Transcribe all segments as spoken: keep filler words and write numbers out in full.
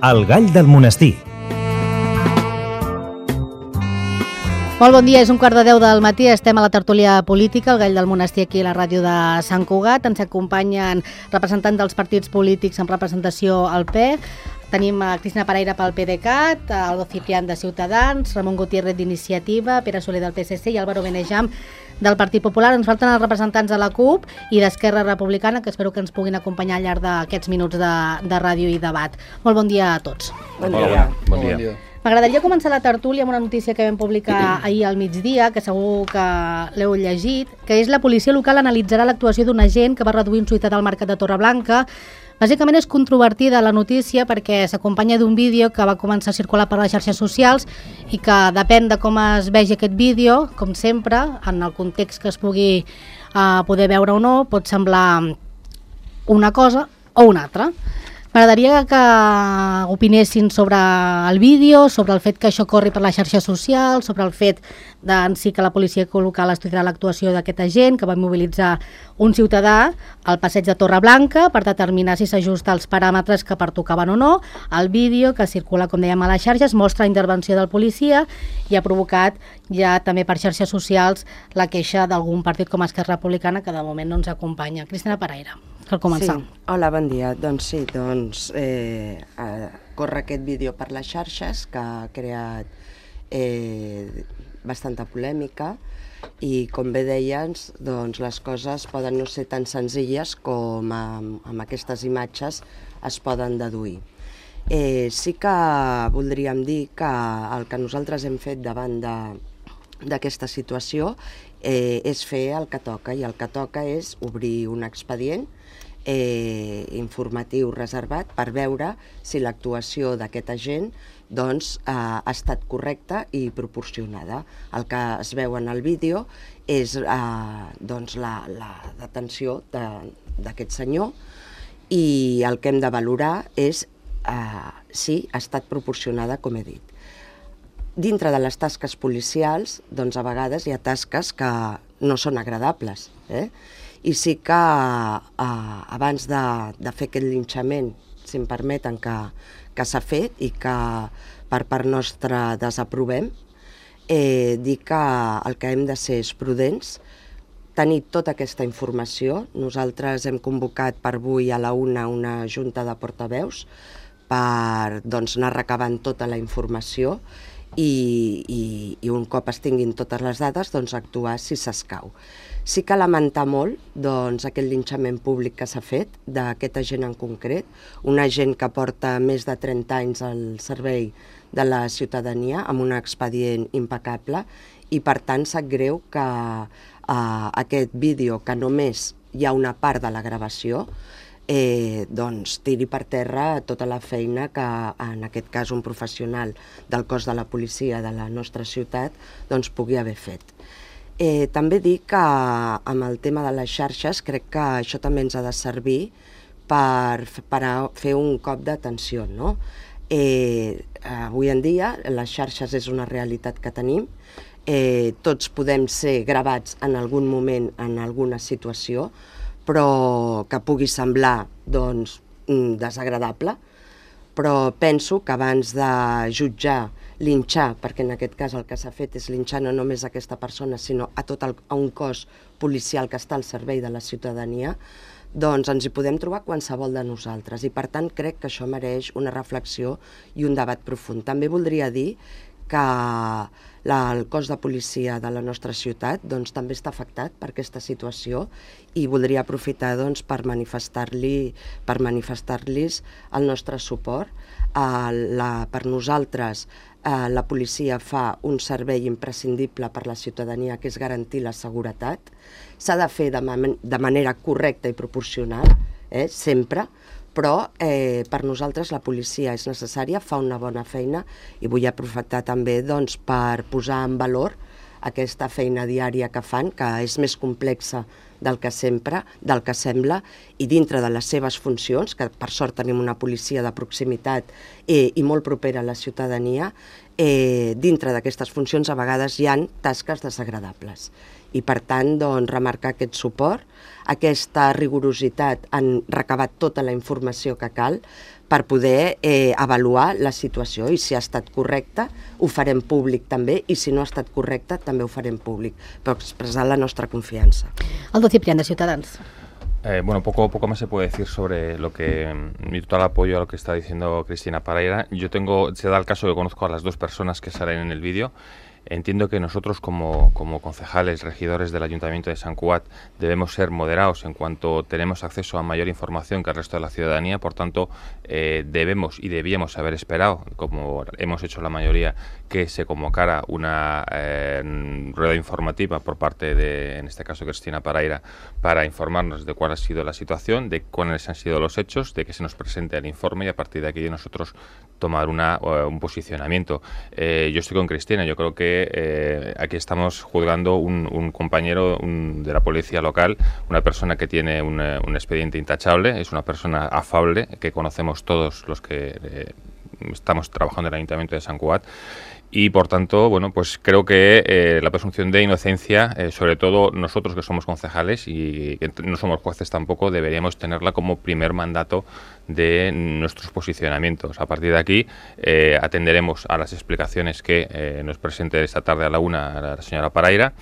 El gall del monestir. Molt bon dia, és un quart de deu del matí, estem a la tertúlia política, el gall del monestir aquí a la ràdio de Sant Cugat. Ens acompanyen representants dels partits polítics en representació al P E. Tenim a Cristina Pereira pel PDeCAT, Aldo Ciprián de Ciutadans, Ramon Gutiérrez d'Iniciativa, Pere Soler del P S C i Álvaro Benejam del Partit Popular. Ens falten els representants de la CUP i d'Esquerra Republicana, que espero que ens puguin acompanyar al llarg d'aquests minuts de, de ràdio i debat. Molt bon dia a tots. Bon dia. Bon dia. Bon dia. M'agradaria començar la tertúlia amb una notícia que vam publicar ahir al migdia, que segur que l'heu llegit, que és la policia local analitzarà l'actuació d'un agent que va reduir un ciutadà al mercat de Torreblanca. Bàsicament és controvertida la notícia perquè s'acompanya d'un vídeo que va començar a circular per les xarxes socials i que depèn de com es vegi aquest vídeo, com sempre, en el context que es pugui uh, poder veure o no, pot semblar una cosa o una altra. M'agradaria que opinessin sobre el vídeo, sobre el fet que això corri per les xarxes socials, sobre el fet de, en si que la policia local estudiarà l'actuació d'aquest agent que va mobilitzar un ciutadà al passeig de Torreblanca per determinar si s'ajusta als paràmetres que pertocaven o no. El vídeo que circula, com dèiem, a les xarxes mostra la intervenció del policia i ha provocat ja també per xarxes socials la queixa d'algun partit com Esquerra Republicana que de moment no ens acompanya. Cristina Pereira, per començar. Sí. Hola, bon dia. Doncs sí, doncs eh, eh, corre aquest vídeo per les xarxes que ha creat eh, bastanta polèmica i, com bé deies, doncs les coses poden no ser tan senzilles com amb, amb aquestes imatges es poden deduir. Eh, sí que voldríem dir que el que nosaltres hem fet davant d'aquesta situació eh, és fer el que toca, i el que toca és obrir un expedient eh, informatiu reservat per veure si l'actuació d'aquest agent doncs, eh, ha estat correcta i proporcionada. El que es veu en el vídeo és eh, doncs la, la detenció d'aquest senyor i el que hem de valorar és eh, si ha estat proporcionada, com he dit. Dintre de les tasques policials, doncs a vegades hi ha tasques que no són agradables, eh? I sí que eh, abans de, de fer aquest linxament, si em permeten, que, que s'ha fet i que per part nostra desaprovem, eh, dir que el que hem de ser és prudents, tenir tota aquesta informació. Nosaltres hem convocat per avui a la una una junta de portaveus per doncs, anar recabant tota la informació i, i, i un cop es tinguin totes les dades, doncs, actuar si s'escau. Sí que lamentar molt doncs, aquest linxament públic que s'ha fet d'aquest agent en concret, un agent que porta més de trenta anys al servei de la ciutadania amb un expedient impecable, i per tant sap greu que eh, aquest vídeo, que només hi ha una part de la gravació, eh, doncs, tiri per terra tota la feina que en aquest cas un professional del cos de la policia de la nostra ciutat doncs, pugui haver fet. Eh, també dic que amb el tema de les xarxes crec que això també ens ha de servir per, per fer un cop d'atenció, no? Eh, avui en dia les xarxes és una realitat que tenim, eh, tots podem ser gravats en algun moment en alguna situació, però que pugui semblar doncs, desagradable, però penso que abans de jutjar, linxar, perquè en aquest cas el que s'ha fet és linxar no només a aquesta persona, sinó a tot el, a un cos policial que està al servei de la ciutadania, doncs ens hi podem trobar qualsevol de nosaltres, i per tant crec que això mereix una reflexió i un debat profund. També voldria dir que la, el cos de policia de la nostra ciutat doncs, també està afectat per aquesta situació, i voldria aprofitar doncs, per manifestar-li, per manifestar-los el nostre suport. Eh, la, per nosaltres eh, la policia fa un servei imprescindible per la ciutadania, que és garantir la seguretat. S'ha de fer de, man de manera correcta i proporcional, eh, sempre, però eh, per nosaltres la policia és necessària, fa una bona feina, i vull aprofitar també doncs, per posar en valor aquesta feina diària que fan, que és més complexa del que sempre, del que sembla, i dintre de les seves funcions, que per sort tenim una policia de proximitat eh, i molt propera a la ciutadania, eh, dintre d'aquestes funcions a vegades hi ha tasques desagradables. I per tant, doncs, remarcar aquest suport, aquesta rigorositat en recabat tota la informació que cal per poder eh, avaluar la situació, i si ha estat correcta ho farem públic també, i si no ha estat correcta també ho farem públic, per expressar la nostra confiança. Aldo Ciprián, de Ciutadans. Eh, bueno, poco, poco más se puede decir sobre lo que, mi total apoyo a lo que está diciendo Cristina Paraire. Yo tengo, se da el caso que conozco a las dos personas que salen en el vídeo. Entiendo que nosotros como, como concejales, regidores del Ayuntamiento de Sant Cugat, debemos ser moderados en cuanto tenemos acceso a mayor información que el resto de la ciudadanía. Por tanto, eh, debemos y debíamos haber esperado, como hemos hecho la mayoría, que se convocara una eh, rueda informativa por parte de, en este caso, Cristina Paraire, para informarnos de cuál ha sido la situación, de cuáles han sido los hechos, de que se nos presente el informe y a partir de aquí nosotros tomar una, uh, un posicionamiento. Eh, yo estoy con Cristina, yo creo que eh, aquí estamos juzgando un, un compañero un, de la policía local, una persona que tiene un, un expediente intachable, es una persona afable, que conocemos todos los que eh, estamos trabajando en el Ayuntamiento de Sant Cugat. Y por tanto, bueno, pues creo que eh, la presunción de inocencia, eh, sobre todo nosotros que somos concejales y que no somos jueces tampoco, deberíamos tenerla como primer mandato de nuestros posicionamientos. A partir de aquí eh, atenderemos a las explicaciones que eh, nos presente esta tarde a la una la señora Paraire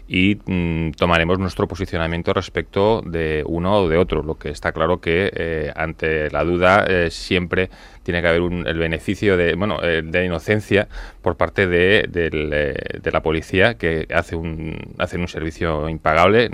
y mm, tomaremos nuestro posicionamiento respecto de uno o de otro. Lo que está claro que eh, ante la duda eh, siempre tiene que haber un, el beneficio de, bueno, eh, de inocencia por parte de, de, de, de la policía, que hace un, hacen un servicio impagable.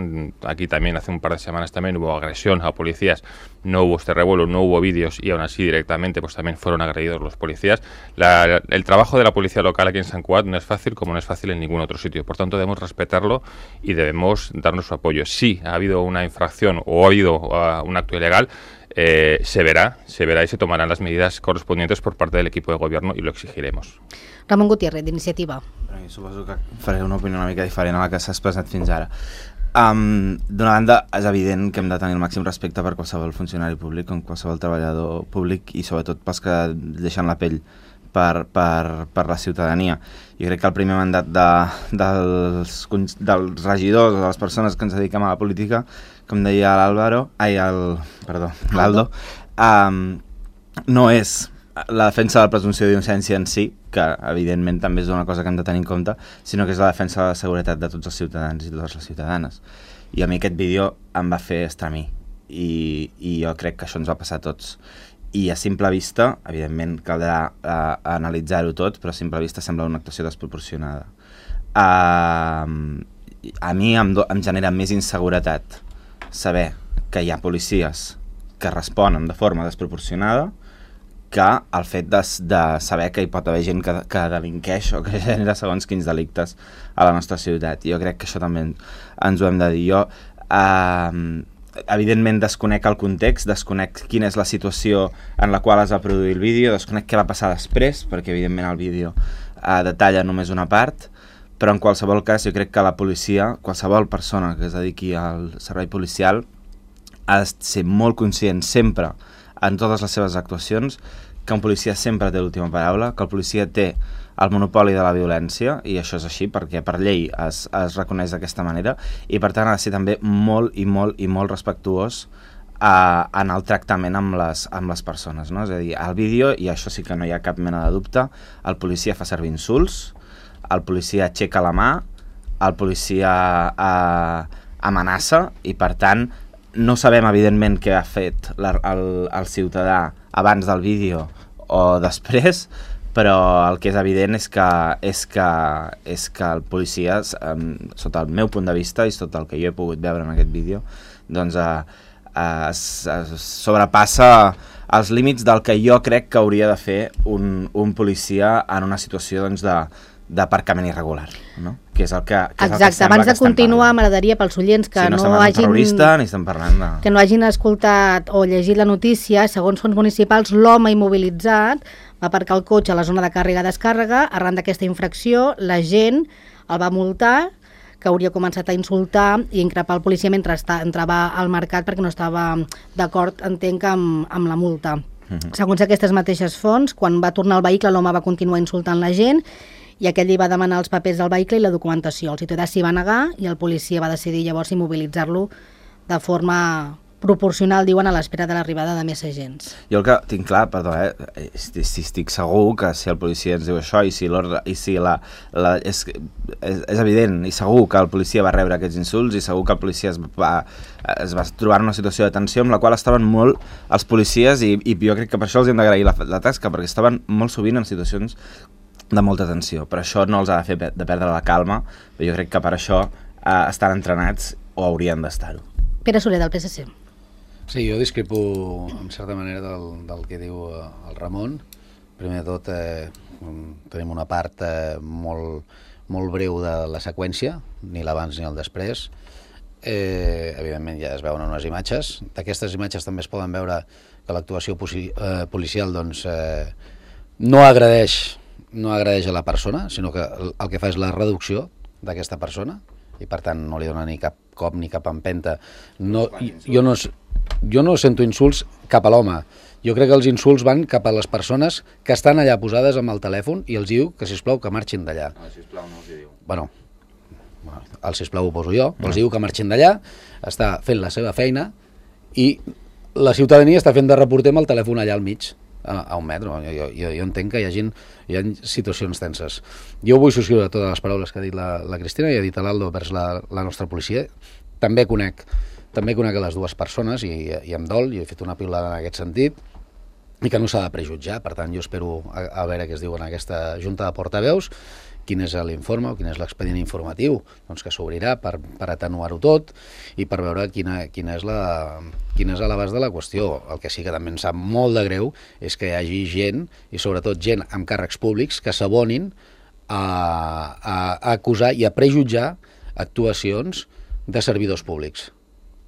Aquí también hace un par de semanas también hubo agresión a policías, no hubo este revuelo, no hubo vídeos y aún así directamente pues también fueron agredidos los policías. La, el trabajo de la policía local aquí en Sant Cugat no es fácil, como no es fácil en ningún otro sitio. Por tanto, debemos respetarlo y debemos darnos su apoyo. Si ha habido una infracción o ha habido uh, un acto ilegal, Eh, se verá, se verá y se tomarán las medidas correspondientes por parte del equipo de gobierno y lo exigiremos. Ramon Gutiérrez, d'Iniciativa. Suposo que faré una opinió una mica diferent a la que s'ha expressat fins ara. Um, D'una banda, és evident que hem de tenir el màxim respecte per qualsevol funcionari públic, com qualsevol treballador públic i sobretot pels que deixen la pell per, per, per la ciutadania. Jo crec que el primer mandat de, dels, dels regidors o de les persones que ens dediquem a la política, com deia l'Àlvaro, ai, el, perdó, l'Aldo, um, no és la defensa de la presumpció d'innocència en si, que evidentment també és una cosa que hem de tenir en compte, sinó que és la defensa de la seguretat de tots els ciutadans i totes les ciutadanes. I a mi aquest vídeo em va fer estremir i, i jo crec que això ens va passar a tots. I a simple vista, evidentment caldrà uh, analitzar-ho tot, però a simple vista sembla una actuació desproporcionada. Uh, a mi em, do, em genera més inseguretat saber que hi ha policies que responen de forma desproporcionada que el fet de, de saber que hi pot haver gent que, que delinqueix o que genera segons quins delictes a la nostra ciutat. Jo crec que això també ens ho hem de dir. Jo, eh, evidentment, desconec el context, desconec quina és la situació en la qual es va produir el vídeo, desconec què va passar després, perquè evidentment el vídeo eh, detalla només una part, però en qualsevol cas jo crec que la policia, qualsevol persona que es dediqui al servei policial, ha de ser molt conscient sempre en totes les seves actuacions que un policia sempre té l'última paraula, que el policia té el monopoli de la violència, i això és així perquè per llei es, es reconeix d'aquesta manera, i per tant ha de ser també molt i molt i molt respectuós eh, en el tractament amb les, amb les persones, no? És a dir, al vídeo, i això sí que no hi ha cap mena de dubte, el policia fa servir insults, el policia aixeca la mà, el policia eh, amenaça, i per tant no sabem, evidentment, què ha fet la, el, el ciutadà abans del vídeo o després, però el que és evident és que, és que, és que el policia, um, sota el meu punt de vista i sota el que jo he pogut veure en aquest vídeo, doncs uh, uh, es, es sobrepassa els límits del que jo crec que hauria de fer un, un policia en una situació doncs, de d'aparcament irregular, no? Que és el que, que, és el Exacte, que abans de continuar m'agradaria pels oients que, sí, no, no hagin, ni estem parlant de... que no hagin escoltat o llegit la notícia, segons fons municipals, l'home immobilitzat va aparcar el cotxe a la zona de càrrega-descàrrega. Arran d'aquesta infracció, la gent el va multar, que hauria començat a insultar i increpar el policia mentre entrava al mercat perquè no estava d'acord, entenc, amb, amb la multa. Uh-huh. Segons aquestes mateixes fonts, quan va tornar al vehicle, l'home va continuar insultant la gent i aquell li va demanar els papers del vehicle i la documentació. El ciutadà s'hi va negar i el policia va decidir llavors immobilitzar-lo de forma proporcional, diuen, a l'espera de l'arribada de més agents. Jo el que tinc clar, perdó, eh, si estic segur que si el policia ens diu això i si l'ordre, i si la, la és, és, és evident i segur que el policia va rebre aquests insults i segur que el policia es va, es va trobar en una situació de tensió amb la qual estaven molt els policies i, i jo crec que per això els hem d'agrair la, la tasca, perquè estaven molt sovint en situacions de molta tensió, però això no els ha de fer de perdre la calma, però jo crec que per això eh, estan entrenats o haurien d'estar-ho. Pere Soler, del P S C. Sí, jo discrepo en certa manera del, del que diu el Ramon. Primer de tot, eh, tenim una part eh, molt, molt breu de la seqüència, ni l'abans ni el després. Eh, evidentment ja es veuen unes imatges. D'aquestes imatges també es poden veure que l'actuació eh, policial doncs, eh, no agradeix no agradeix a la persona, sinó que el, el que fa és la reducció d'aquesta persona i per tant no li dona ni cap cop ni cap empenta. No, jo no... Jo no sento insults cap a l'home. Jo crec que els insults van cap a les persones que estan allà posades amb el telèfon i els diu que, sisplau, que marxin d'allà. No, sisplau, no els hi diu. Bueno, el sisplau ho poso jo, no. Els diu que marxin d'allà, està fent la seva feina i la ciutadania està fent de reporter amb el telèfon allà al mig, a, a un metre. Jo, jo, jo entenc que hi hagi, hi ha situacions tenses. Jo vull subscriure totes les paraules que ha dit la, la Cristina i ha dit l'Aldo vers la, la nostra policia. També conec També conec les dues persones i, i em dol, i he fet una piulada en aquest sentit, i que no s'ha de prejutjar. Per tant, jo espero a, a veure què es diu en aquesta junta de portaveus, quin és l'informe o quin és l'expedient informatiu doncs, que s'obrirà per, per atenuar-ho tot i per veure quina, quina és la, quin és l'abast de la qüestió. El que sí que també em sap molt de greu és que hi hagi gent, i sobretot gent amb càrrecs públics, que s'abonin a, a, a acusar i a prejutjar actuacions de servidors públics.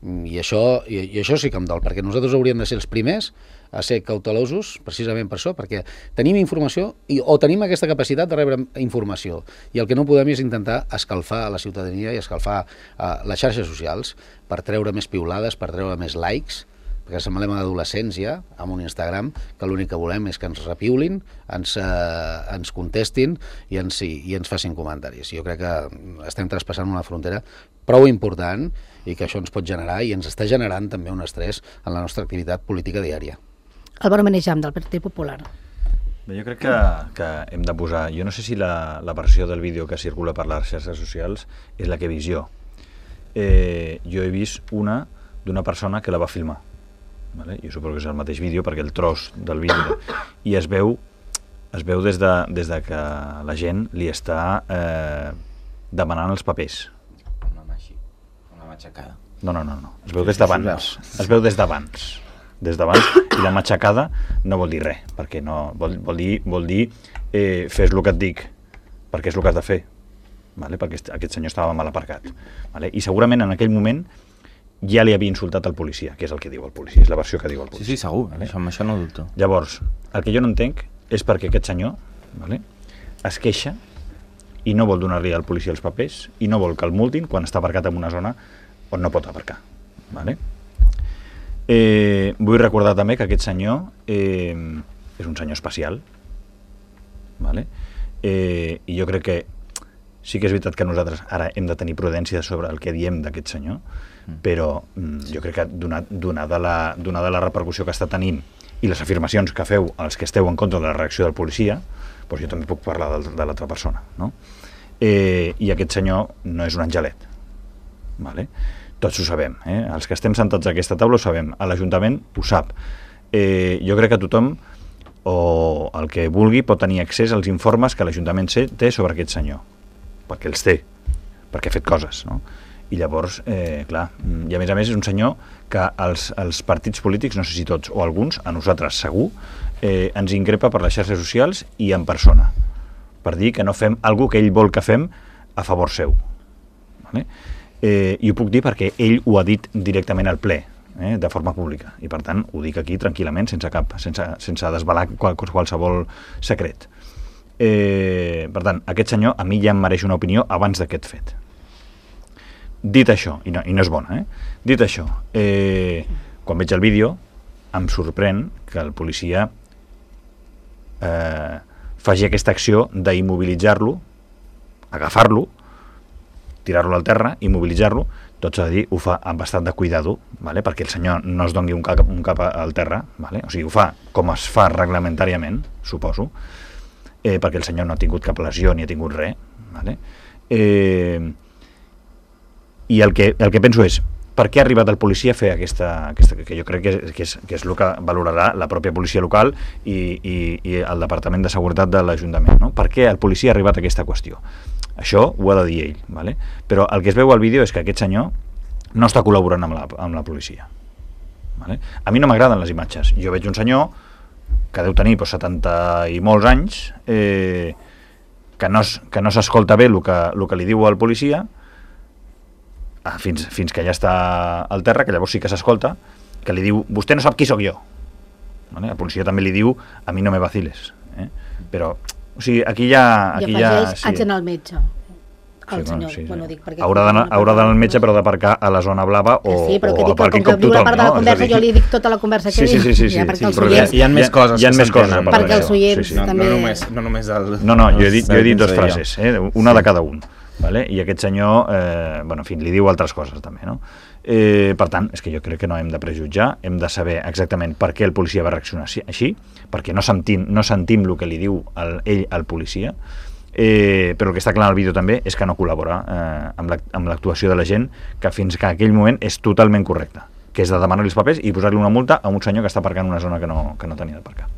I això, i, i això sí que em dol, perquè nosaltres hauríem de ser els primers a ser cautelosos precisament per això, perquè tenim informació i, o tenim aquesta capacitat de rebre informació i el que no podem és intentar escalfar a la ciutadania i escalfar a les xarxes socials per treure més piulades, per treure més likes, perquè semblem adolescents ja, amb un Instagram, que l'únic que volem és que ens repiulin, ens, eh, ens contestin i ens, i, i ens facin comentaris. Jo crec que estem traspassant una frontera prou important i que això ens pot generar i ens està generant també un estrès en la nostra activitat política diària. Álvaro Menejam, del Partit Popular. Bé, jo crec que, que hem de posar... Jo no sé si la, la versió del vídeo que circula per les xarxes socials és la que he vist jo. Eh, jo he vist una d'una persona que la va filmar. Vale? Jo suposo que és el mateix vídeo perquè el tros del vídeo i es veu es veu des de, des de que la gent li està eh, demanant els papers. Una mà així, una matxacada. No, no, no, no. Es veu des d'abans. Es veu des d'abans. Des d'abans, i la matxacada no vol dir res, perquè no, vol, vol dir, vol dir eh, fes el que et dic, perquè és el que has de fer. Vale? Perquè aquest senyor estava mal aparcat. Vale? I segurament en aquell moment ja li havia insultat al policia, que és el que diu el policia, és la versió que diu el policia. Sí, sí, segur, vale? això, amb això no dubto. Llavors, el que jo no entenc és perquè aquest senyor vale, es queixa i no vol donar-li al policia els papers i no vol que el multin quan està aparcat en una zona on no pot aparcar. Vale? Eh, vull recordar també que aquest senyor eh, és un senyor especial, vale? eh, i jo crec que sí que és veritat que nosaltres ara hem de tenir prudència sobre el que diem d'aquest senyor, però mm, jo crec que donat, donada, la, donada la repercussió que està tenint i les afirmacions que feu els que esteu en contra de la reacció del policia, doncs jo també puc parlar de, de l'altra persona, no? Eh, i aquest senyor no és un angelet, vale? Tots ho sabem, eh? Els que estem sentats a aquesta taula ho sabem, a l'Ajuntament ho sap. Eh, jo crec que tothom o el que vulgui pot tenir accés als informes que l'Ajuntament té sobre aquest senyor, perquè els té, perquè ha fet coses, no? I llavors, eh, clar, i a més a més és un senyor que els, els partits polítics, no sé si tots o alguns, a nosaltres segur, eh, ens increpa per les xarxes socials i en persona, per dir que no fem alguna que ell vol que fem a favor seu. Vale? Eh, I ho puc dir perquè ell ho ha dit directament al ple, eh, de forma pública, i per tant ho dic aquí tranquil·lament, sense cap, sense, sense desvelar qual, qualsevol secret. Eh, per tant, aquest senyor a mi ja em mereix una opinió abans d'aquest fet. Dit això, i no, i no és bona, eh? Dit això, eh, quan veig el vídeo em sorprèn que el policia eh, faci aquesta acció d'immobilitzar-lo, agafar-lo, tirar-lo al terra, immobilitzar-lo, tot s'ha de dir, ho fa amb bastant de cuidado, vale? Perquè el senyor no es doni un cap, un cap al terra, vale? O sigui, ho fa com es fa reglamentàriament, suposo, eh, perquè el senyor no ha tingut cap lesió ni ha tingut res, vale? Eh, i el que, el que penso és, per què ha arribat el policia a fer aquesta, aquesta que jo crec que és, que, és, que és el que valorarà la pròpia policia local i, i, i el Departament de Seguretat de l'Ajuntament, no? Per què el policia ha arribat a aquesta qüestió? Això ho ha de dir ell, vale? Però el que es veu al vídeo és que aquest senyor no està col·laborant amb la, amb la policia. Vale? A mi no m'agraden les imatges. Jo veig un senyor que deu tenir pues, setanta i molts anys, eh, que no, que no s'escolta bé el que, el que li diu al policia, Fins, fins que ja està al terra, que llavors sí que s'escolta, que li diu, vostè no sap qui sóc jo. Vale? La policia també li diu, a mi no me vaciles. Eh? Però, o sigui, aquí ja... Aquí I afegeix, ja, sí. haig d'anar al metge. El Sí, senyor, bueno, sí, sí. bueno, dic, perquè... Haurà d'anar haurà d'anar al metge, però d'aparcar a la zona blava o, sí, però que o dic, aparqui com que com diu la tothom, part de la no? conversa, És a dir, jo li dic tota la conversa que Sí, sí, sí, sí, sí, ja, perquè sí, els però oients... Hi ha més coses hi ha que més coses a s'entenen. parlar Perquè els d'això. oients Sí, sí. No, també... no, només, no només el... No, no, jo he dit, jo he dit el dues que frases, eh? Una de cada un. Vale? I aquest senyor, eh, bueno, en fi, li diu altres coses també, no? Eh, per tant, és que jo crec que no hem de prejutjar, hem de saber exactament per què el policia va reaccionar així, perquè no sentim, no sentim el que li diu el, ell al policia, eh, però el que està clar en el vídeo també és que no col·labora eh, amb l'actuació de la gent, que fins que aquell moment és totalment correcte, que és de demanar-li els papers i posar-li una multa a un senyor que està aparcant en una zona que no, que no tenia d'aparcar.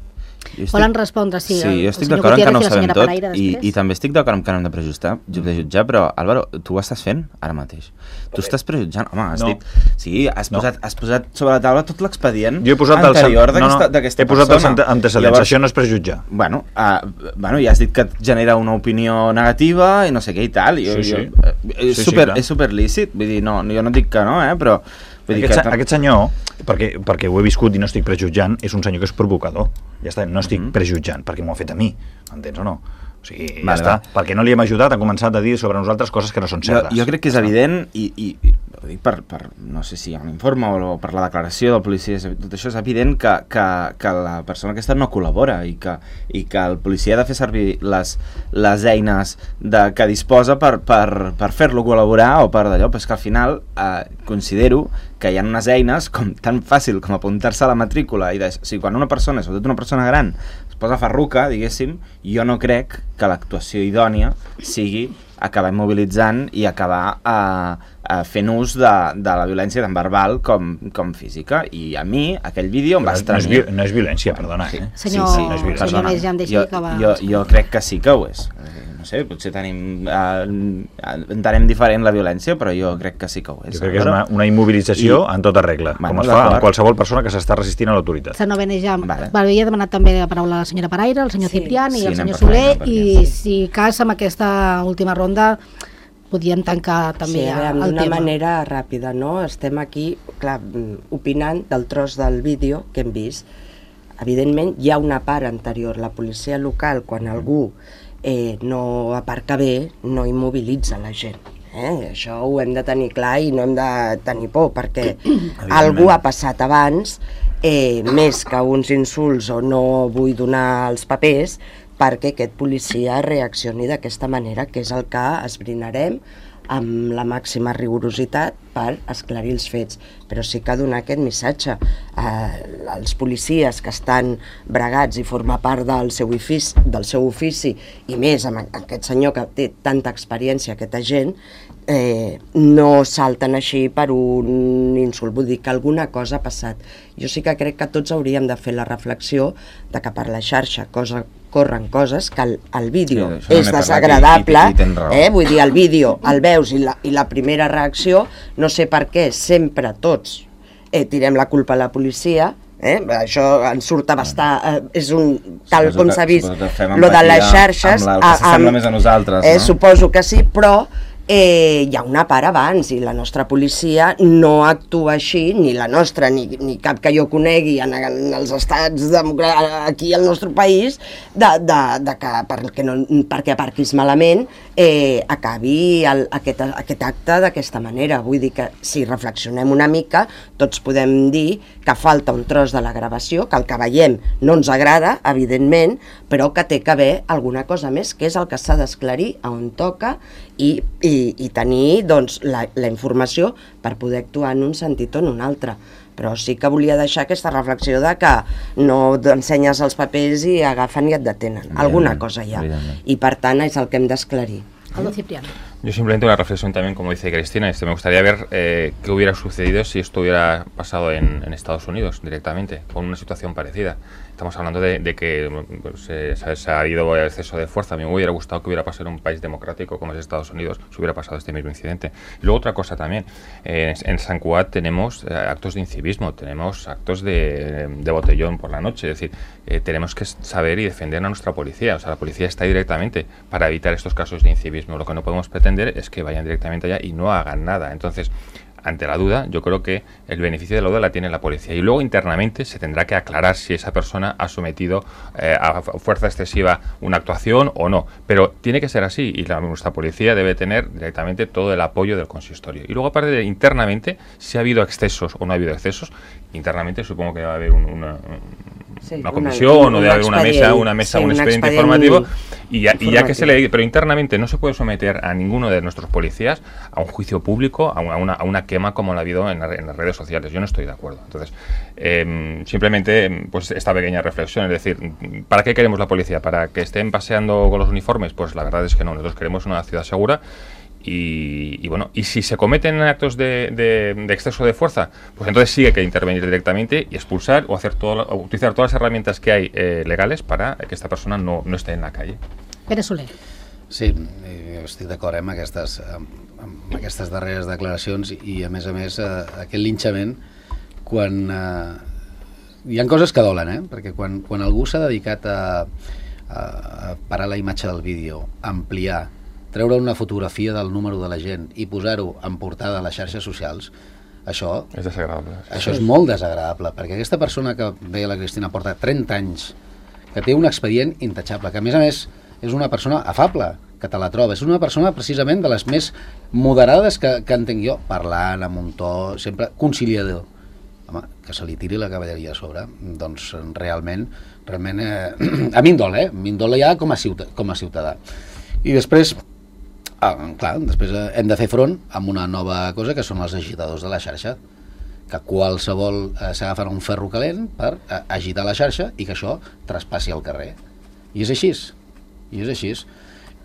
Estic... Volen respondre, sí. Sí, el, jo estic el d'acord en que no ho Gutiérrez i la sabem senyora tot Paraire i, després. i també estic d'acord en que no hem de prejutjar, de jutjar, però Álvaro, tu ho estàs fent ara mateix. Tu estàs prejutjant, home, has No. dit... Sí, has, No. posat, has posat sobre la taula tot l'expedient Jo he posat anterior el, no, no, d'aquesta he posat persona. els antecedents, Llavors, això no és prejutjar. Bueno, uh, bueno, ja has dit que et genera una opinió negativa i no sé què i tal. Jo, Sí, sí. Jo, eh, és, Sí, sí, super, clar. és super lícit, vull dir, no, jo no dic que no, eh, però... Vull dir Aquest, que... aquest senyor, perquè, perquè ho he viscut i no estic prejutjant, és un senyor que és provocador. Ja està, no estic Mhm. prejutjant, perquè m'ho ha fet a mi, entens o no? O sigui, ja Vale, està. va. Perquè no li hem ajudat, ha començat a dir sobre nosaltres coses que no són Jo, certes. jo crec que és evident i, i, i ho dic per, per, no sé si hi ha un informe o per la declaració del policia, és- tot això és evident que, que, que la persona aquesta no col·labora i que, i que el policia ha de fer servir les, les eines de, que disposa per, per, per fer-lo col·laborar o per d'allò, però és que al final eh, considero que hi ha unes eines com tan fàcil com apuntar-se a la matrícula i de, o sigui, quan una persona, sobretot una persona gran, es posa farruca, diguéssim, jo no crec que l'actuació idònia sigui acabar immobilitzant i acabar eh, eh, fent ús de, de la violència tant verbal com, com física. I a mi, aquell vídeo em va no, no, és, estranyar. vi- no és violència, perdona. Eh? Senyor, no és violència. senyor Més, ja em deixa jo, acabar. jo, jo crec que sí que ho és. Eh, No sé, potser tenim, eh, entenem diferent la violència, però jo crec que sí que ho és. Jo crec que és Però- una, una immobilització I- en tota regla, Bueno, com es fa amb d'acord. qualsevol persona que s'està resistint a l'autoritat. Senyor Benejam, Vale. vale. havia demanat també la paraula a la senyora Paraire, el senyor Sí. Ciprián i Sí, el anem senyor per Soler, feina, i perquè- si cas amb aquesta última ronda podíem tancar també sí, a veure, el d'una tema. manera ràpida, no? Estem aquí, clar, mm, opinant del tros del vídeo que hem vist. Evidentment, hi ha una part anterior. La policia local, quan algú eh, no aparca bé, no immobilitza la gent. Eh? Això ho hem de tenir clar i no hem de tenir por, perquè algú ha passat abans, eh, més que uns insults o no vull donar els papers, perquè aquest policia reaccioni d'aquesta manera, que és el que esbrinarem amb la màxima rigorositat per esclarir els fets. Però sí que donar aquest missatge. Eh, els policies que estan bregats i formar part del seu ofici, del seu ofici i més amb aquest senyor que té tanta experiència, aquest agent, eh, no salten així per un insult. Vull dir que alguna cosa ha passat. Jo sí que crec que tots hauríem de fer la reflexió de que per la xarxa cosa, corren coses que el, el vídeo Sí, això no és n'he parlat desagradable, i- i- i tens raó. eh? Vull dir, el vídeo el veus i la, i la primera reacció, no sé per què, sempre tots eh, tirem la culpa a la policia, eh? Això ens surt a bastar, eh, és un, tal Suposo com que- s'ha vist, suposo que fem lo de les empatia xarxes, amb la- el que s'assembla més a nosaltres, eh, no? suposo que sí, però eh, hi ha una part abans i la nostra policia no actua així, ni la nostra ni, ni cap que jo conegui en, en els estats democràtics aquí al nostre país, de, de, de que perquè, no, perquè aparquis malament eh, acabi el, aquest, aquest acte d'aquesta manera. Vull dir que si reflexionem una mica tots podem dir que falta un tros de la gravació, que el que veiem no ens agrada, evidentment, però que té que haver alguna cosa més, que és el que s'ha d'esclarir a on toca i, i, i tenir doncs, la, la informació per poder actuar en un sentit o en un altre. Però sí que volia deixar aquesta reflexió de que no ensenyes els papers i agafen i et detenen. Alguna cosa hi ha. I per tant és el que hem d'esclarir. Aldo Cipriano. Yo simplemente una reflexión también, como dice Cristina, este, me gustaría ver eh, qué hubiera sucedido si esto hubiera pasado en, en Estados Unidos directamente, con una situación parecida. Estamos hablando de, de que pues, eh, se ha habido exceso de fuerza. A mí me hubiera gustado que hubiera pasado en un país democrático como es Estados Unidos, si hubiera pasado este mismo incidente. Y luego otra cosa también, eh, en San Cugat tenemos eh, actos de incivismo, tenemos actos de, de botellón por la noche, es decir, eh, tenemos que saber y defender a nuestra policía. O sea, la policía está ahí directamente para evitar estos casos de incivismo. Lo que no podemos pretender es que vayan directamente allá y no hagan nada. Entonces, ante la duda, yo creo que el beneficio de la duda la tiene la policía. Y luego internamente se tendrá que aclarar si esa persona ha sometido eh, a fuerza excesiva una actuación o no. Pero tiene que ser así y la, nuestra policía debe tener directamente todo el apoyo del consistorio. Y luego, aparte de internamente, si ha habido excesos o no ha habido excesos, internamente supongo que va a haber un, una... Sí, una comisión una, o debe haber una mesa, una mesa, sí, un, un expediente, expediente informativo y ya, y ya que se le, pero internamente no se puede someter a ninguno de nuestros policías a un juicio público, a una, a una quema como la ha habido en, la, en las redes sociales. Yo no estoy de acuerdo. Entonces, eh, simplemente pues esta pequeña reflexión, es decir, ¿para qué queremos la policía? ¿Para que estén paseando con los uniformes? Pues la verdad es que no. Nosotros queremos una ciudad segura. Y, y bueno, y si se cometen actos de, de, de exceso de fuerza, pues entonces sí hay que intervenir directamente y expulsar o hacer todo, o utilizar todas las herramientas que hay eh, legales para que esta persona no, no esté en la calle. Pere Soler. Sí, estic d'acord amb aquestes, amb aquestes darreres declaracions i a més a més eh, aquest linxament quan eh, hi ha coses que dolen, eh? Perquè quan, quan algú s'ha dedicat a, a parar la imatge del vídeo, ampliar, treure una fotografia del número de la gent i posar-ho en portada a les xarxes socials, això és desagradable. Això és molt desagradable, perquè aquesta persona que deia la Cristina porta trenta anys, que té un expedient intachable, que a més a més és una persona afable, que te la trobes, és una persona precisament de les més moderades que, que entenc jo, parlant amb un to sempre conciliador. Home, que se li tiri la cavalleria a sobre, doncs realment, realment eh, a mi em dol, eh? A mi em dol ja com a ciutadà. Com a ciutadà. I després, ah, clar, després hem de fer front amb una nova cosa que són els agitadors de la xarxa, que qualsevol eh, s'agafen un ferro calent per eh, agitar la xarxa i que això traspassi al carrer. I és així, i és així.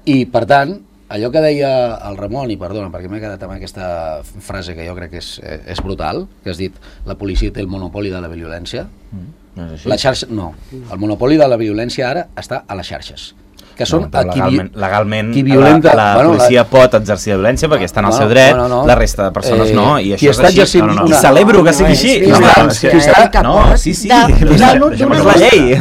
I per tant, allò que deia el Ramon, i perdona perquè m'he quedat amb aquesta frase que jo crec que és, és brutal, que has dit la policia té el monopoli de la violència, mm, no és així. La xarxa, no, el monopoli de la violència ara està a les xarxes, que són no, qui, legalment, legalment qui violenta, la, la bueno, policia la... pot exercir la violència perquè està en el bueno, seu dret, no, no, no. La resta de persones eh, no, i això és així. No, no, no. I celebro que sigui així. No, no, no, qui està, no, sí, sí, és la llei.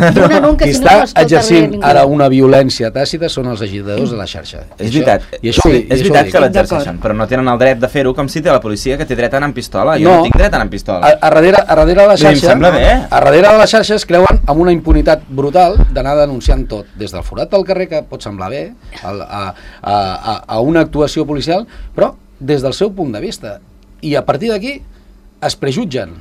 Qui està exercint ara una violència tàcita són els agitadors de la xarxa. És veritat, és veritat que l'exerceixen, però no tenen el dret de fer-ho com si té la policia que té dret a anar amb pistola. Jo no tinc dret a anar amb pistola. A darrere de la xarxa, a darrere de les xarxes creuen amb una impunitat brutal d'anar denunciant tot, des del forat del carrer, que pot semblar bé, a, a, a, a una actuació policial, però des del seu punt de vista. I a partir d'aquí es prejutgen.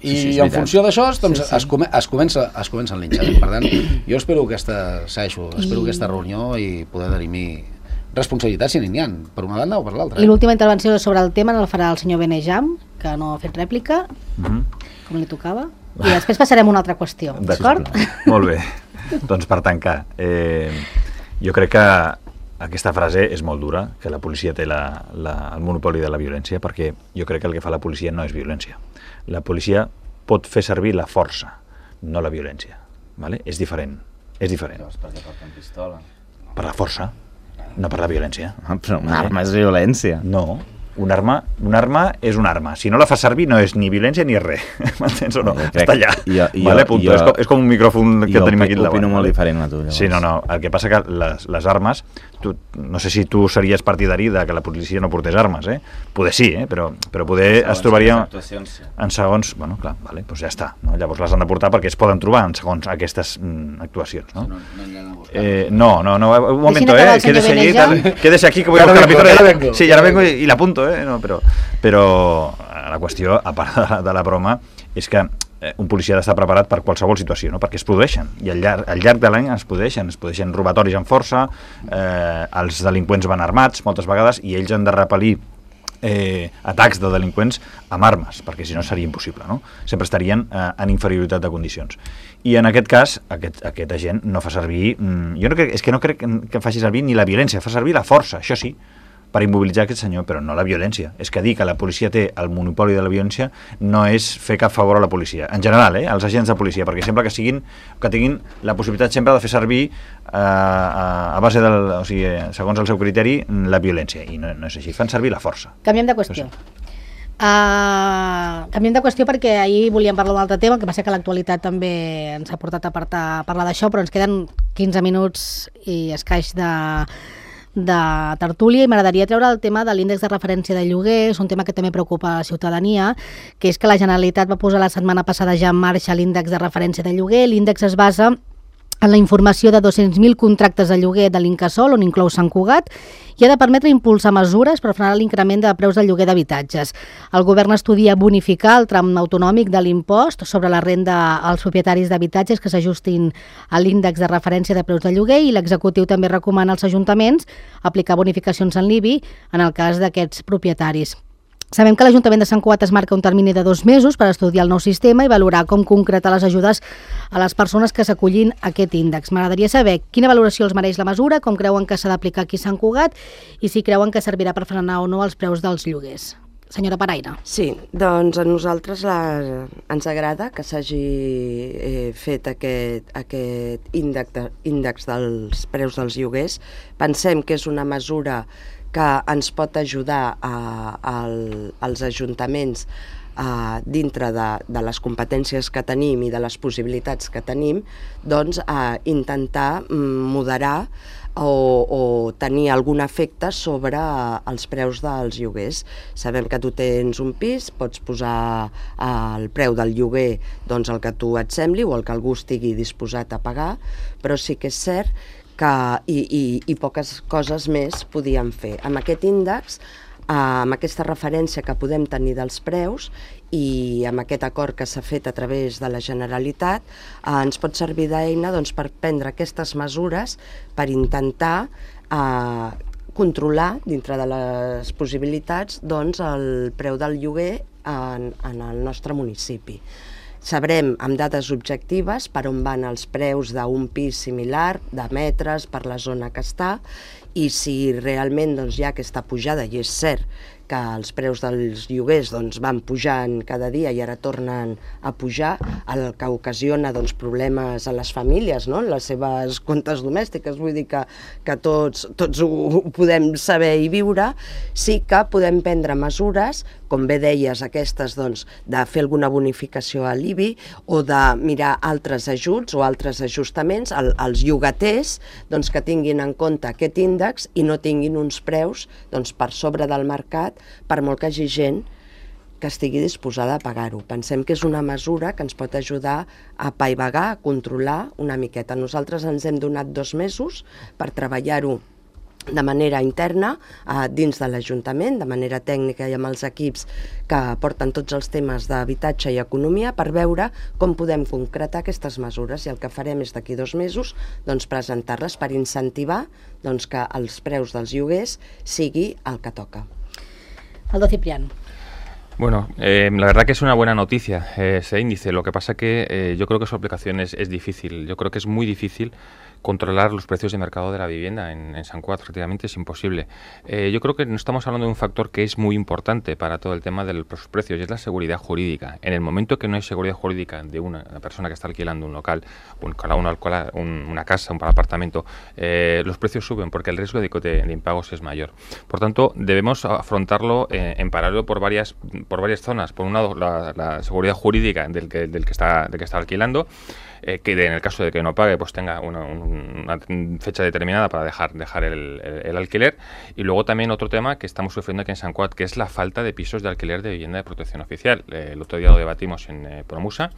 I sí, sí, en funció d'això doncs, sí, sí. Es, come, es, comença, es comença el linxament. Per tant, jo espero aquesta, Saixo, espero I... aquesta reunió i poder dirimir responsabilitats si n'hi ha, per una banda o per l'altra. I l'última intervenció sobre el tema la farà el senyor Benejam, que no ha fet rèplica, mm-hmm. com li tocava, i després passarem a una altra qüestió, d'acord? Molt bé. Doncs per tancar, eh, jo crec que aquesta frase és molt dura, que la policia té la, la, el monopoli de la violència, perquè jo crec que el que fa la policia no és violència. La policia pot fer servir la força, no la violència. ¿Vale? És diferent. És diferent. Llavors, per què porten pistola? Per la força, no per la violència. Ah, però una arma és violència. No. Un arma, un arma és una arma. Si no la fa servir no és ni violència ni és res. M'entens o no? Està allà. Jo, jo, vale, jo, és, com, és com un micròfon que tenim aquí al davant. Jo opino molt diferent a tu. Llavors. Sí, no, no. El que passa que les, les armes tu, no sé si tu series partidari de que la policia no portés armes, eh? Poder sí, eh? però, però poder es trobaria en segons... Bueno, clar, vale, doncs ja està. No? Llavors les han de portar perquè es poden trobar en segons aquestes mm, actuacions. No? No, no, eh, no, no, no, un moment, eh? Quédese allí, tal, quédese aquí que voy a buscar la pistola. Sí, ara vengo i la apunto, eh? No, però, però la qüestió, a part de la, de la broma, és que eh, un policia ha d'estar preparat per qualsevol situació, no? Perquè es produeixen, i al llarg, al llarg de l'any es produeixen, es produeixen robatoris amb força, eh, els delinqüents van armats moltes vegades i ells han de repel·lir eh, atacs de delinqüents amb armes, perquè si no seria impossible, no? Sempre estarien eh, en inferioritat de condicions. I en aquest cas, aquest, aquest agent no fa servir... Mm, jo no crec, és que no crec que faci servir ni la violència, fa servir la força, això sí, per immobilitzar aquest senyor, però no la violència. És que dir que la policia té el monopoli de la violència no és fer cap favor a la policia. En general, eh, als agents de policia, perquè sembla que siguin que tinguin la possibilitat sempre de fer servir eh, a, a base del, o sigui, segons el seu criteri, la violència. I no, no és així, fan servir la força. Canviem de qüestió. Uh, canviem de qüestió perquè ahir volíem parlar d'un altre tema, que va ser que l'actualitat també ens ha portat a parlar d'això, però ens queden quinze minuts i escaix de de tertúlia i m'agradaria treure el tema de l'índex de referència de lloguer. És un tema que també preocupa a la ciutadania, que és que la Generalitat va posar la setmana passada ja en marxa l'índex de referència de lloguer. L'índex es basa en la informació de dos-cents mil contractes de lloguer de l'Incasòl, on inclou Sant Cugat, i ha de permetre impulsar mesures per frenar l'increment de preus del lloguer d'habitatges. El govern estudia bonificar el tram autonòmic de l'impost sobre la renda als propietaris d'habitatges que s'ajustin a l'índex de referència de preus de lloguer, i l'executiu també recomana als ajuntaments aplicar bonificacions en l'I B I en el cas d'aquests propietaris. Sabem que l'Ajuntament de Sant Cugat es marca un termini de dos mesos per estudiar el nou sistema i valorar com concretar les ajudes a les persones que s'acollin a aquest índex. M'agradaria saber quina valoració els mereix la mesura, com creuen que s'ha d'aplicar aquí a Sant Cugat i si creuen que servirà per frenar o no els preus dels lloguers. Senyora Paraire. Sí, doncs a nosaltres la, ens agrada que s'hagi eh, fet aquest, aquest índex, de, índex dels preus dels lloguers. Pensem que és una mesura que ens pot ajudar a, a, als ajuntaments a, dintre de, de les competències que tenim i de les possibilitats que tenim, doncs a intentar moderar o, o tenir algun efecte sobre els preus dels lloguers. Sabem que tu tens un pis, pots posar el preu del lloguer doncs el que tu et sembli o el que algú estigui disposat a pagar, però sí que és cert que, i, i, i poques coses més podíem fer. Amb aquest índex, amb aquesta referència que podem tenir dels preus i amb aquest acord que s'ha fet a través de la Generalitat, eh, ens pot servir d'eina doncs, per prendre aquestes mesures per intentar eh, controlar, dintre de les possibilitats, doncs, el preu del lloguer en, en el nostre municipi. Sabrem amb dades objectives per on van els preus d'un pis similar, de metres, per la zona que està, i si realment doncs, hi ha aquesta pujada, i és cert que els preus dels lloguers doncs, van pujant cada dia i ara tornen a pujar, el que ocasiona doncs, problemes a les famílies, no? En les seves comptes domèstiques, vull dir que, que tots, tots ho, ho podem saber i viure. Sí que podem prendre mesures, com bé deies, aquestes doncs, de fer alguna bonificació a l'I B I o de mirar altres ajuts o altres ajustaments al, als llogaters doncs, que tinguin en compte aquest índex i no tinguin uns preus doncs, per sobre del mercat, per molt que hi hagi gent que estigui disposada a pagar-ho. Pensem que és una mesura que ens pot ajudar a apaivagar, a controlar una miqueta. Nosaltres ens hem donat dos mesos per treballar-ho de manera interna eh, dins de l'Ajuntament, de manera tècnica i amb els equips que porten tots els temes d'habitatge i economia, per veure com podem concretar aquestes mesures, i el que farem és d'aquí dos mesos doncs, presentar-les per incentivar doncs, que els preus dels lloguers sigui el que toca. Aldo Ciprián. Bueno, eh, la verdad que es una buena noticia eh, ese índice. Lo que pasa que eh, yo creo que su aplicación es, es difícil. Yo creo que es muy difícil controlar los precios de mercado de la vivienda en, en Sant Cugat, efectivamente es imposible. Eh, yo creo que no estamos hablando de un factor que es muy importante para todo el tema de los precios, y es la seguridad jurídica. En el momento que no hay seguridad jurídica de una, una persona que está alquilando un local, un, una, un, una casa, un apartamento, eh, los precios suben porque el riesgo de, de, de impagos es mayor. Por tanto, debemos afrontarlo eh, en paralelo por varias, por varias zonas. Por un lado, la, la seguridad jurídica del que, del que, está, del que está alquilando, eh, que de, en el caso de que no pague, pues tenga una, un una fecha determinada para dejar, dejar el, el, el alquiler. Y luego también otro tema que estamos sufriendo aquí en Sant Cugat, que es la falta de pisos de alquiler de vivienda de protección oficial. Eh, el otro día lo debatimos en eh, Promusa.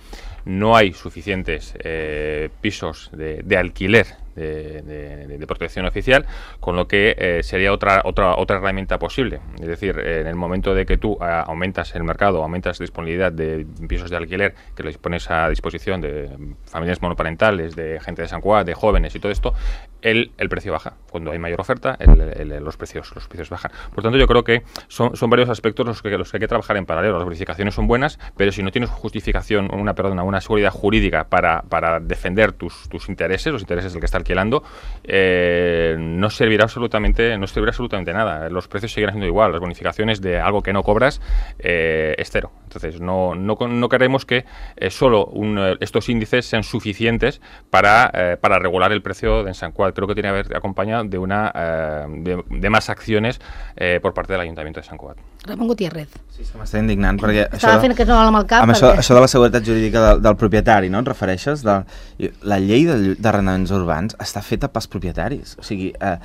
No hay suficientes eh, pisos de, de alquiler De, de, de protección oficial, con lo que eh, sería otra otra otra herramienta posible. Es decir, eh, en el momento de que tú eh, aumentas el mercado, aumentas la disponibilidad de pisos de alquiler, que los pones a disposición de familias monoparentales, de gente de Sant Cugat, de jóvenes y todo esto, el, el precio baja. Cuando hay mayor oferta, el, el, el, los precios los precios bajan. Por tanto, yo creo que son, son varios aspectos los que, los que hay que trabajar en paralelo. Las bonificaciones son buenas, pero si no tienes justificación, una perdona, una seguridad jurídica para, para defender tus, tus intereses, los intereses del que está alquilando, eh, no servirá absolutamente no servirá absolutamente nada. Los precios seguirán siendo igual. Las bonificaciones de algo que no cobras eh, es cero. Entonces, no, no, no queremos que eh, solo un, estos índices sean suficientes para, eh, para regular el precio de Sant Cugat. Creo que tiene que haber acompañado de, una, eh, de, de más acciones eh, por parte del Ayuntamiento de Sant Cugat. Ramon Gutiérrez. Sí, és que m'està indignant perquè... Estava això fent que no amb el cap. Amb perquè... això, això de la seguretat jurídica del, del propietari, no? Et refereixes? De, la llei d'arrendaments urbans està feta pels propietaris. O sigui, eh,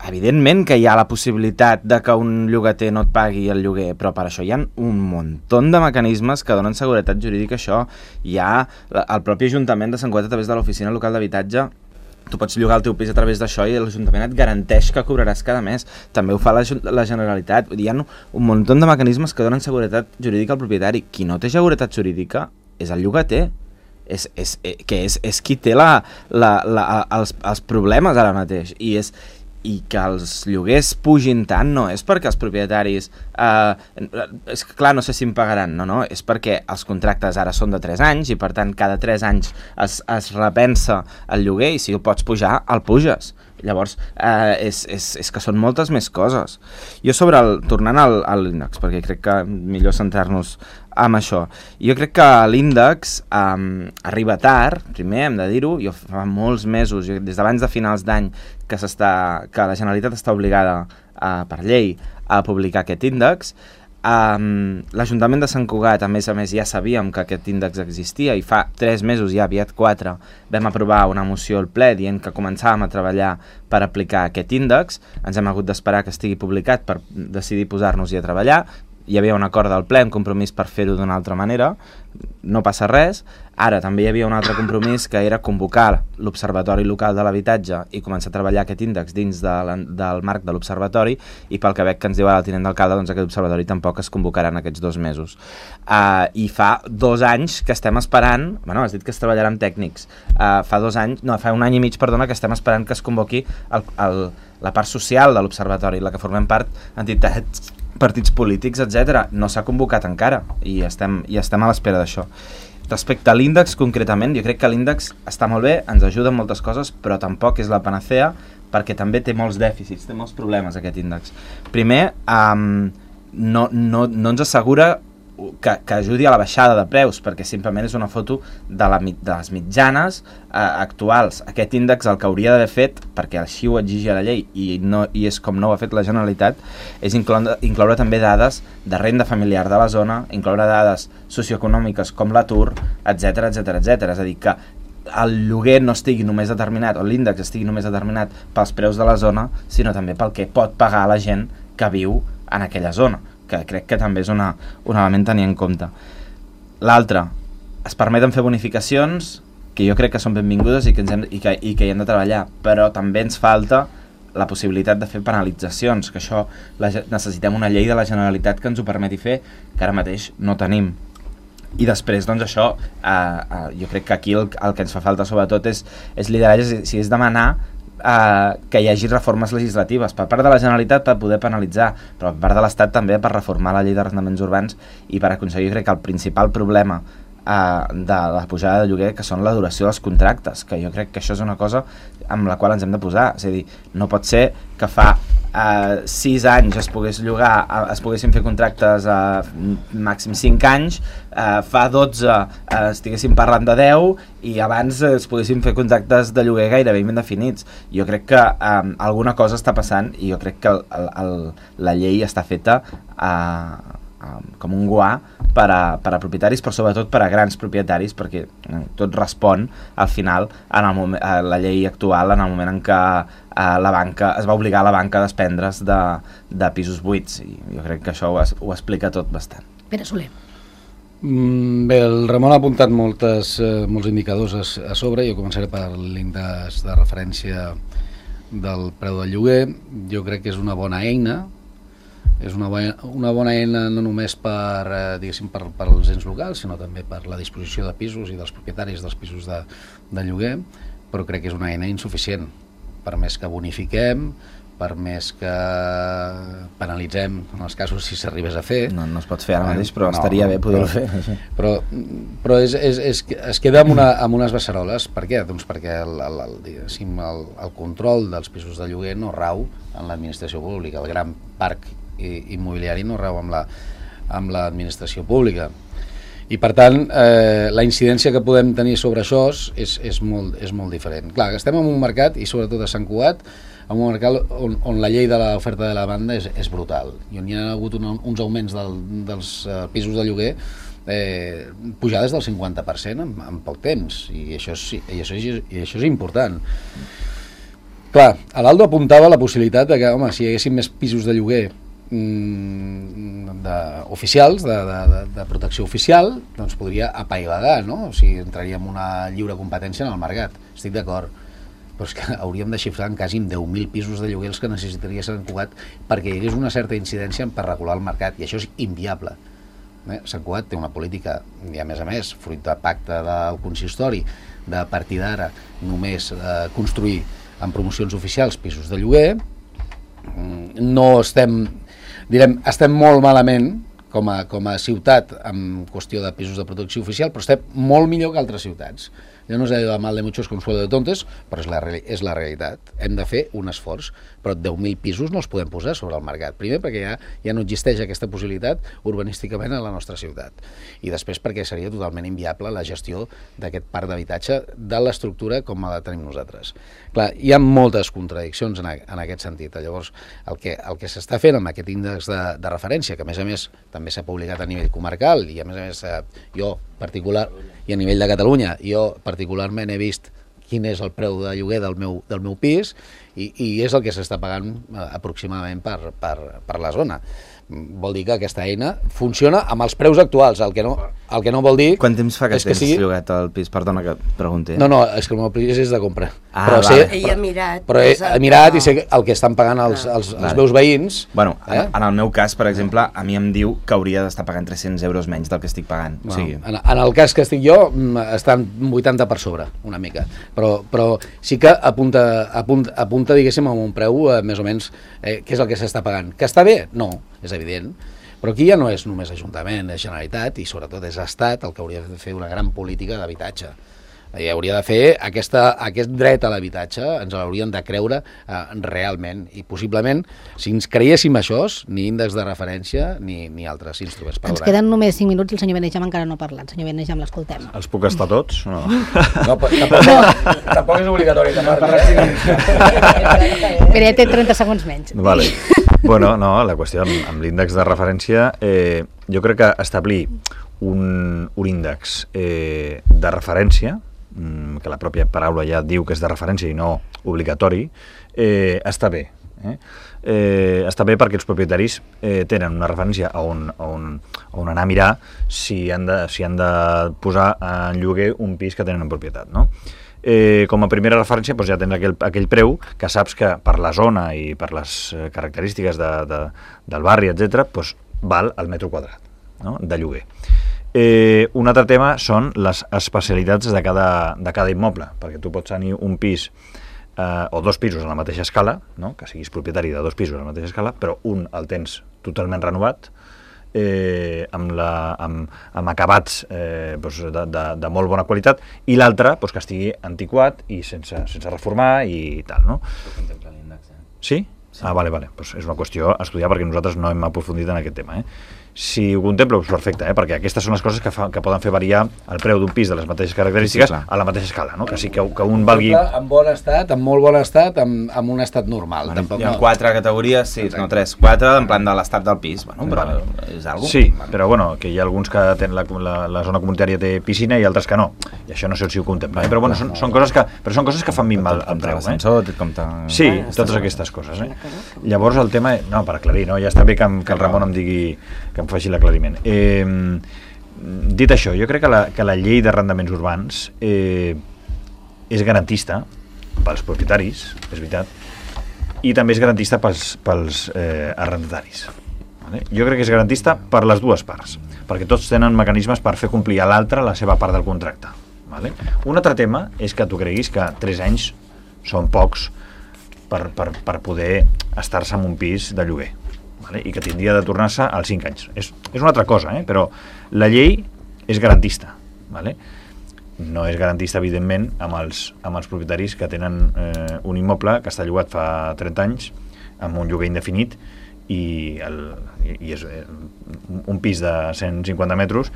evidentment que hi ha la possibilitat de que un llogater no et pagui el lloguer, però per això hi ha un munt de mecanismes que donen seguretat jurídica a això. Hi ha el propi Ajuntament de Sant Cugat a través de l'Oficina Local d'Habitatge. Tu pots llogar el teu pis a través d'això i l'Ajuntament et garanteix que cobraràs cada mes. També ho fa la, la Generalitat. Hi ha un munt de mecanismes que donen seguretat jurídica al propietari. Qui no té seguretat jurídica és el llogater. És, és, que és, és qui té la, la, la, els, els problemes ara mateix. I és... i que els lloguers pugin tant no és perquè els propietaris eh, és que clar, no sé si em pagaran, no, no, és perquè els contractes ara són de tres anys i per tant cada tres anys es, es repensa el lloguer i si el pots pujar, el puges. Llavors, eh, és, és, és que són moltes més coses. Jo sobre el, tornant al, a l'índex, perquè crec que millor centrar-nos amb això. Jo crec que l'índex eh, arriba tard, primer hem de dir-ho, jo fa molts mesos, jo, des d'abans de finals d'any, que, que la Generalitat està obligada eh, per llei a publicar aquest índex. Um, L'Ajuntament de Sant Cugat, a més a més, ja sabíem que aquest índex existia i fa tres mesos, ja aviat quatre, vam aprovar una moció al ple dient que començàvem a treballar per aplicar aquest índex. Ens hem hagut d'esperar que estigui publicat per decidir posar-nos-hi a treballar. Hi havia un acord del ple, un compromís per fer-ho d'una altra manera, no passa res. Ara també hi havia un altre compromís que era convocar l'Observatori Local de l'Habitatge i començar a treballar aquest índex dins de la, del marc de l'Observatori, i pel que veig que ens diu ara el tinent d'alcalde, doncs aquest observatori tampoc es convocarà en aquests dos mesos. Uh, I fa dos anys que estem esperant, bueno, has dit que es treballarà amb tècnics, uh, fa dos anys, no, fa un any i mig, perdona, que estem esperant que es convoqui el, el, la part social de l'Observatori, la que formem part entitats, partits polítics, etcètera. No s'ha convocat encara i estem, i estem a l'espera d'això. Respecte a l'índex, concretament, jo crec que l'índex està molt bé, ens ajuda en moltes coses, però tampoc és la panacea, perquè també té molts dèficits, té molts problemes aquest índex. Primer, um, no, no, no ens assegura que, que ajudi a la baixada de preus, perquè simplement és una foto de, la, de les mitjanes eh, actuals. Aquest índex el que hauria d'haver fet, perquè així ho exigia la llei i, no, i és com no ho ha fet la Generalitat, és incloure, incloure també dades de renda familiar de la zona, incloure dades socioeconòmiques com l'atur, etcètera, etcètera, etcètera. És a dir, que el lloguer no estigui només determinat, o l'índex estigui només determinat pels preus de la zona, sinó també pel que pot pagar la gent que viu en aquella zona, que crec que també és una, un element a tenir en compte. L'altre, es permeten fer bonificacions que jo crec que són benvingudes i que, ens hem, i, que, i que hi hem de treballar, però també ens falta la possibilitat de fer penalitzacions, que això la, necessitem una llei de la Generalitat que ens ho permeti fer, que ara mateix no tenim. I després, doncs això, eh, eh, jo crec que aquí el, el que ens fa falta sobretot és, és lideratge, si és demanar Uh, que hi hagi reformes legislatives per part de la Generalitat per poder penalitzar, però per part de l'Estat també per reformar la llei d'arrendaments urbans i per aconseguir, crec que el principal problema uh, de la pujada de lloguer, que són la duració dels contractes, que jo crec que això és una cosa amb la qual ens hem de posar. És a dir, no pot ser que fa uh, sis anys es pogués llogar, uh, es poguessin fer contractes a uh, màxim cinc anys, uh, fa dotze uh, estiguéssim parlant de deu i abans uh, es poguessin fer contractes de lloguer gairebé indefinits. Jo crec que um, alguna cosa està passant i jo crec que el, el, el, la llei està feta uh, com un guà per a, per a propietaris, però sobretot per a grans propietaris, perquè eh, tot respon al final en el moment, a la llei actual, en el moment en què eh, la banca es va obligar a la banca a desprendre's de, de pisos buits, i jo crec que això ho, ho explica tot bastant. Pere Soler. Mm, bé, el Ramon ha apuntat moltes, eh, molts indicadors a, a sobre. Jo començaré per l'índex de referència del preu del lloguer. Jo crec que és una bona eina, és una bona, una bona eina no només per, eh, diguéssim, per, per als ens locals, sinó també per la disposició de pisos i dels propietaris dels pisos de, de lloguer, però crec que és una eina insuficient. Per més que bonifiquem, per més que penalitzem en els casos si s'arribés a fer. No, no es pot fer ara mateix, però no, estaria bé poder-ho fer. Però, però és, és, és, es queda amb, una, amb unes beceroles. Per què? Doncs perquè el, el, el, el, el control dels pisos de lloguer no rau en l'administració pública. El gran parc immobiliari no rau amb la, amb l'administració pública. I per tant, eh, la incidència que podem tenir sobre això és, és, molt, és molt diferent. Clar, estem en un mercat, i sobretot a Sant Cugat, en un mercat on, on la llei de l'oferta de la banda és, és brutal, i on hi ha hagut un, uns augments del, dels uh, pisos de lloguer, eh, pujades del cinquanta per cent en, en poc temps, i això és, i això és, i això és important. Clar, l'Aldo apuntava la possibilitat de que, home, si hi haguessin més pisos de lloguer mm, de, oficials, de, de, de protecció oficial, doncs podria apaivagar, no? O sigui, entraríem en una lliure competència en el mercat. Estic d'acord. Però és que hauríem de xifrar en quasi deu mil pisos de lloguer els que necessitaria Sant Cugat perquè hi hagués una certa incidència per regular el mercat, i això és inviable. Eh? Sant Cugat té una política, i a més a més, fruit de pacte del consistori, de a partir d'ara només eh, construir en promocions oficials pisos de lloguer. No estem, direm, estem molt malament com a, com a ciutat en qüestió de pisos de protecció oficial, però estem molt millor que altres ciutats. Ja no és de mal de muchos consuelo de tontes, però és la, és la realitat. Hem de fer un esforç, però deu mil pisos no els podem posar sobre el mercat. Primer perquè ja, ja no existeix aquesta possibilitat urbanísticament a la nostra ciutat. I després perquè seria totalment inviable la gestió d'aquest parc d'habitatge de l'estructura com la tenim nosaltres. Clar, hi ha moltes contradiccions en, a, en aquest sentit. Llavors, el que, el que s'està fent amb aquest índex de, de referència, que a més a més també s'ha publicat a nivell comarcal, i a més a més eh, jo particular, i a nivell de Catalunya, jo particularment he vist quin és el preu de lloguer del meu, del meu pis, i, i és el que s'està pagant eh, aproximadament per, per, per la zona. Vol dir que aquesta eina funciona amb els preus actuals, el que no, el que no vol dir... Quant temps fa que tens sigui... llogat el pis? Perdona que pregunti. No, no, és que el meu pis és de compra. Ah, però vale. sé, Ell ha mirat. Però he, he mirat i sé el que estan pagant els, els, els Vale. meus veïns. Bueno, eh? en, en el meu cas, per exemple, a mi em diu que hauria d'estar pagant tres-cents euros menys del que estic pagant. Bueno, O sigui... en, en el cas que estic jo, estan vuitanta per sobre, una mica. Però, però sí que apunta, apunta, apunta diguéssim, a un preu eh, més o menys eh, què és el que s'està pagant. Que està bé? No, és evident. Però aquí ja no és només Ajuntament, és Generalitat, i sobretot és Estat el que hauria de fer una gran política d'habitatge. I hauria de fer aquesta, aquest dret a l'habitatge, ens l'haurien de creure eh, realment, i possiblement, si ens creiéssim això, ni índex de referència ni, ni altres instruments. Ens queden només cinc minuts i el senyor Benejam encara no ha parlat. Senyor Benejam, l'escoltem. Els puc estar tots? No. No, tampoc, no. tampoc és obligatori que parli. Mira, ja té trenta segons menys. Vale. Bueno, no, la qüestió amb, amb l'índex de referència, eh, jo crec que establir un, un índex eh, de referència, que la pròpia paraula ja diu que és de referència i no obligatori, eh, està bé. Eh? Eh, està bé perquè els propietaris eh, tenen una referència a on, a, on, a on anar a mirar si han de, si han de posar en lloguer un pis que tenen en propietat, no? Eh, com a primera referència doncs ja tens aquell, aquell preu que saps que per la zona i per les característiques de, de, del barri, etcètera, doncs val el metre quadrat, no? De lloguer. Eh, un altre tema són les especialitats de cada, de cada immoble, perquè tu pots tenir un pis eh, o dos pisos a la mateixa escala, no? Que siguis propietari de dos pisos a la mateixa escala, però un el tens totalment renovat, eh, amb, la, amb, amb acabats eh, doncs de, de, de molt bona qualitat, i l'altre doncs, que estigui antiquat i sense, sense reformar i tal, no? Contempla l'índex, eh? Sí? Sí. Ah, vale, vale. Pues és una qüestió a estudiar perquè nosaltres no hem aprofundit en aquest tema, eh? si ho contemplo, és perfecte, eh? Perquè aquestes són les coses que, fa, que poden fer variar el preu d'un pis de les mateixes característiques sí, sí, a la mateixa escala, no? Que sí que, que un valgui... En bon estat, en molt bon estat, en, en un estat normal. Bueno, tampoc, hi ha no. quatre categories, sí, no tres, quatre, en plan de l'estat del pis, bueno, però vale. És algo. Sí, però bueno, que hi ha alguns que tenen la, la, la zona comunitària té piscina i altres que no, i això no sé si ho contempla, eh? Però bueno, són, són coses que, però són coses que fan minvar el preu, eh? Sí, totes aquestes coses, eh? Llavors el tema, no, per aclarir, no? Ja està bé que, que el Ramon em digui, que em faci l'aclariment. Eh, dit això, jo crec que la, que la llei d'arrendaments urbans eh, és garantista pels propietaris, és veritat, i també és garantista pels, pels eh, arrendataris. Vale? Jo crec que és garantista per les dues parts, perquè tots tenen mecanismes per fer complir a l'altre la seva part del contracte. Vale? Un altre tema és que tu creguis que tres anys són pocs per, per, per poder estar-se en un pis de lloguer. Vale? I que tindria de tornar-se als cinc anys. És, és una altra cosa, eh? Però la llei és garantista. Vale? No és garantista, evidentment, amb els, amb els propietaris que tenen eh, un immoble que està llogat fa trenta anys, amb un lloguer indefinit, i, el, i és eh, un pis de cent cinquanta metres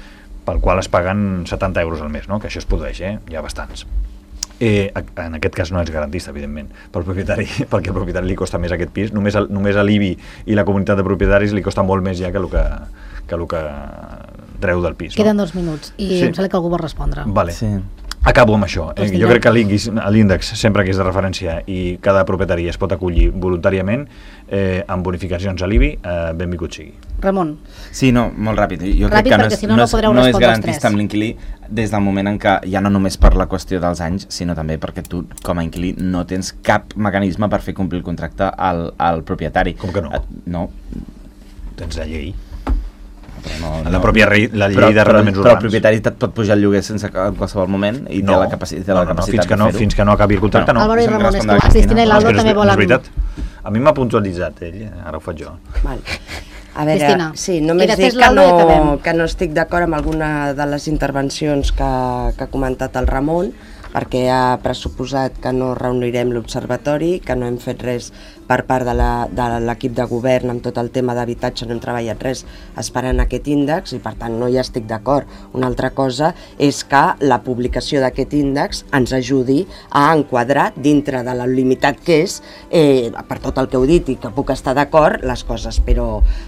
pel qual es paguen setanta euros al mes, no? Que això es produeix, eh? Hi ha bastants. Eh, en aquest cas no és garantista, evidentment, pel propietari, perquè al propietari li costa més aquest pis, només, el, només a l'I B I i la comunitat de propietaris li costa molt més ja que el que, que, el que treu del pis. Queden no? dos minuts i sí. em sembla que algú vol respondre. Vale. Sí. Acabo amb això. Eh? Jo crec que l'índex, sempre que és de referència i cada propietari es pot acollir voluntàriament eh, amb bonificacions a l'I B I, eh, benvingut sigui. Ramon. Sí, no, molt ràpid. Jo Ràpid, crec que no perquè és, si no, no no és, podreu no és respondre els garantista tres. amb l'inquilí des del moment en què, ja no només per la qüestió dels anys, sinó també perquè tu, com a inquilí, no tens cap mecanisme per fer complir el contracte al, al propietari. Com que no? Et, no. Tens la llei. No, la no, pròpia rei, la llei d'arrendaments urbans. Però el propietari et pot pujar el lloguer sense en qualsevol moment i no, té la, capaci té no, la no, capacitat fins que de no, fer-ho. fins que no acabi el contracte, no. Álvaro i Ramon, és que la Cristina Cristina i l'Aldo no, també volen... No és veritat. A mi m'ha puntualitzat ell, ara ho faig jo. Val. A veure, Cristina, sí, només dic que no, que no estic d'acord amb alguna de les intervencions que, que ha comentat el Ramon, perquè ha pressuposat que no reunirem l'observatori, que no hem fet res per part de l'equip de, de govern amb tot el tema d'habitatge, no hem treballat res esperant aquest índex i per tant no hi estic d'acord. Una altra cosa és que la publicació d'aquest índex ens ajudi a enquadrar dintre de la limitat que és, eh, per tot el que heu dit i que puc estar d'acord, les coses, però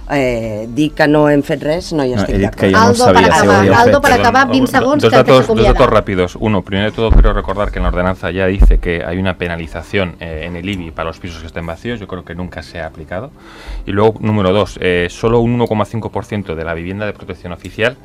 eh, dir que no hem fet res no hi estic no, d'acord. no Aldo, para acabar, si Aldo, para Perdón, acabar, veinte segundos dos que datos, te dos datos rápidos. Uno, primero de todo quiero recordar que en la ordenanza ya dice que hay una penalización eh, en el I B I para los pisos que estén vacíos. Yo creo que nunca se ha aplicado. Y luego, número dos, eh, solo un uno coma cinco por ciento de la vivienda de protección oficial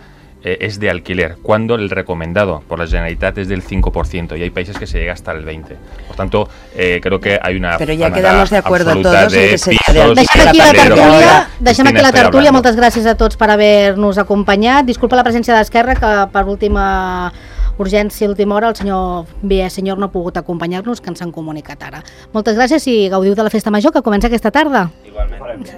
eh, es de alquiler, cuando el recomendado por la Generalitat es del cinco por ciento y hay países que se llega hasta el veinte por ciento. Por tanto, eh, creo que hay una Pero ya manada quedamos de acuerdo absoluta todos en de que sería pisos de alquiler. Deixem aquí la de tertúlia, alquiler. deixem aquí Cristina, la estoy tertúlia, hablando. moltes gràcies a tots per haver-nos acompanyat. Disculpa la presència d'Esquerra, que per última urgència, última hora, el senyor B. Senyor no ha pogut acompanyar-nos, que ens han comunicat ara. Moltes gràcies i gaudiu de la festa major que comença aquesta tarda. Igualment.